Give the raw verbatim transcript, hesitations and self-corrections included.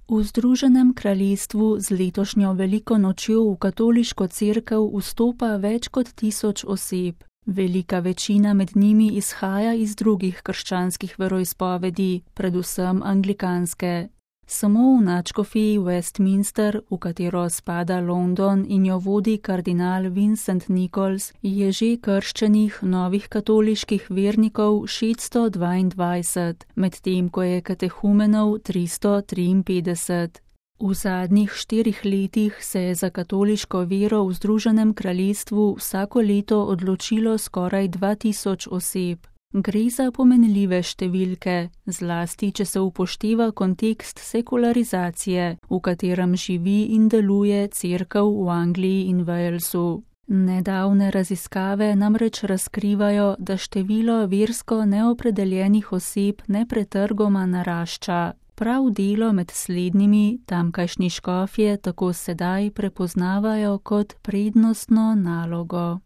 V Združenem kraljestvu z letošnjo veliko nočjo v katoliško cerkev vstopa več kot tisoč oseb. Velika večina med njimi izhaja iz drugih krščanskih veroizpovedi, predvsem anglikanske. Samo v nadškofiji Westminster, v katero spada London in jo vodi kardinal Vincent Nichols, je že krščenih novih katoliških vernikov šeststo dvaindvajset, medtem ko je katehumenov tristo triinpetdeset. V zadnjih štirih letih se je za katoliško vero v Združenem kraljestvu vsako leto odločilo skoraj dva tisoč oseb. Gre za pomenljive številke, zlasti če se upošteva kontekst sekularizacije, v katerem živi in deluje cerkev v Angliji in Walesu. Nedavne raziskave namreč razkrivajo, da število versko neopredeljenih oseb nepretrgoma narašča. Prav delo med slednjimi tamkajšnji škofje tako sedaj prepoznavajo kot prednostno nalogo.